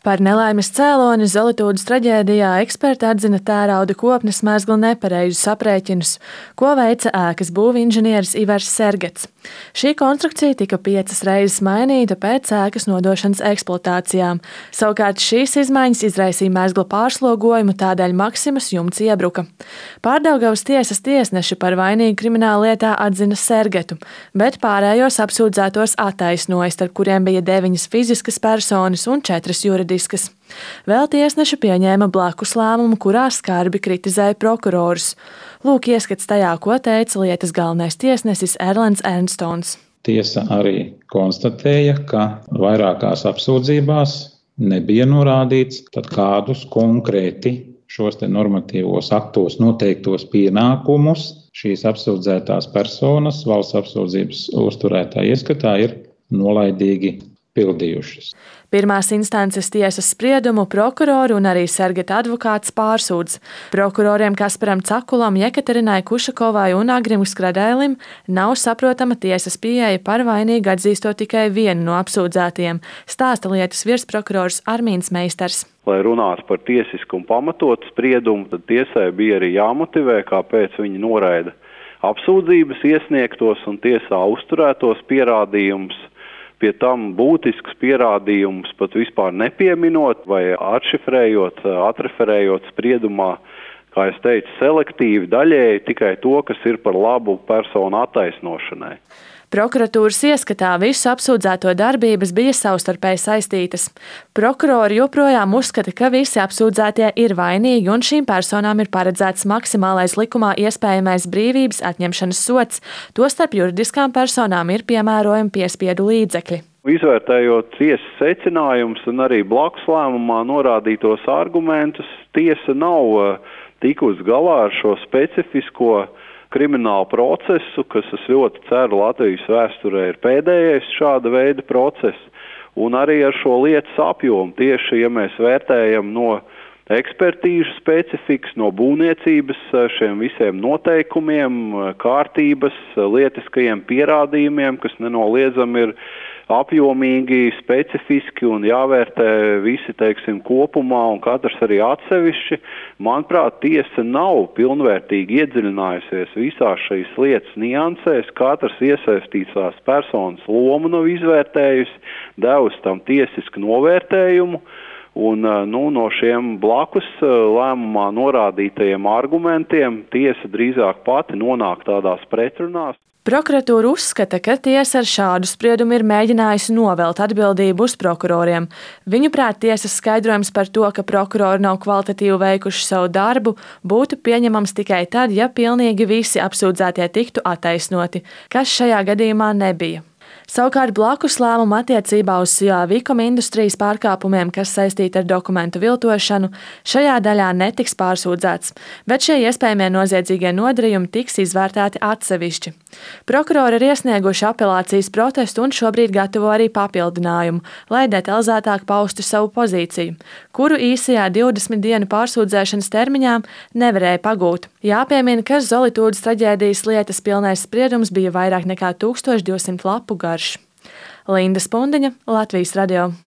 Par nelaimes cēloni Zolitūdas traģēdijā eksperti atzina tērauda kopnes mezgla nepareizus aprēķinus, ko veica ēkas būvinženieris Ivars Sergets. Šī konstrukcija tika 5 reizes mainīta pēc ēkas nodošanas eksploatācijām. Savukārt šīs izmaiņas izraisīja mezgla pārslogojumu, tādēļ Maksimas jumts iebruka. Pārdaugavas tiesas tiesneši par vainīgu krimināllietā atzina Sergetu, bet pārējos apsūdzētos attaisnoja, starp kuriem bija 9 fiziskas personas un 4 juridiskas. Vēl tiesneši pieņēma blakus lēmumu, kurā skarbi kritizēja prokurorus. Lūk ieskats tajā, ko teica lietas galvenais tiesnesis Erlands Ernstons. Tiesa arī konstatēja, ka vairākās apsūdzībās nebija norādīts, tad kādus konkrēti šos normatīvos aktos noteiktos pienākumus šīs apsūdzētās personas valsts apsūdzības uzturētāja ieskatā ir nolaidīgi pildījušas. Pirmās instances tiesas spriedumu prokurori un arī Sergeta advokāts pārsūdz. Prokuroriem Kasparam Cakulam, Jekaterinai Kušakovai un Agrim Skradēlim nav saprotama tiesas pieeja par vainīgu atzīstot tikai vienu no apsūdzētajiem, stāsta lietas virsprokurors Armīns Meistars. Lai runātu par tiesisku un pamatotu spriedumu, tad tiesai bija arī jāmotivē, kāpēc viņi noraida apsūdzības iesniegtos un tiesā uzturētos pierādījumus. Pie tam būtisks pierādījumus pat vispār nepieminot vai atšifrējot, atreferējot spriedumā, kā es teicu, selektīvi daļēji tikai to, kas ir par labu personu attaisnošanai. Prokuratūras ieskatā visu apsūdzēto darbības bija savstarpēji saistītas. Prokurori joprojām uzskata, ka visi apsūdzētie ir vainīgi un šīm personām ir paredzēts maksimālais likumā iespējamais brīvības atņemšanas sods, tostarp juridiskām personām ir piemērojami piespiedu līdzekļi. Izvērtējot tiesas secinājumus un arī blakus lēmumā norādītos argumentus, tiesa nav tikusi galā ar šo specifisko kriminālu procesu, kas, es ļoti ceru, Latvijas vēsturē ir pēdējais šāda veida process, un arī ar šo lietas apjomu. Tieši, ja mēs vērtējam no ekspertīžu specifikas, no būvniecības, šiem visiem noteikumiem, kārtības, lietiskajiem pierādījumiem, kas nenoliedzami ir apjomīgi, specifiski un jāvērtē visi, kopumā un katrs arī atsevišķi. Manuprāt, tiesa nav pilnvērtīgi iedziļinājusies visās šīs lietas niansēs, katrs iesaistītās personas lomu nav izvērtējusi, devusi tam tiesisku novērtējumu. Un no šiem blakus lēmumā norādītajiem argumentiem tiesa drīzāk pati nonāk tādās pretrunās. Prokuratūra uzskata, ka tiesa ar šādu spriedumu ir mēģinājusi novelt atbildību uz prokuroriem. Viņuprāt, tiesas skaidrojums par to, ka prokurori nav kvalitatīvi veikuši savu darbu, būtu pieņemams tikai tad, ja pilnīgi visi apsūdzētie tiktu attaisnoti, kas šajā gadījumā nebija. Savukārt blakus lēmumu attiecībā uz Vikuma industrijas pārkāpumiem, kas saistīti ar dokumentu viltošanu, šajā daļā netiks pārsūdzēts, bet šie iespējamie noziedzīgie nodarījumi tiks izvērtēti atsevišķi. Prokurori ir iesnieguši apelācijas protestu un šobrīd gatavo arī papildinājumu, lai detalizētāk paustu savu pozīciju, kuru īsajā 20 dienu pārsūdzēšanas termiņā nevarēja pagūt. Jāpiemina, ka Zolitūdas traģēdijas lietas pilnais spriedums bija vairāk nekā 1200 lapu garš. Linda Spundiņa, Latvijas radio.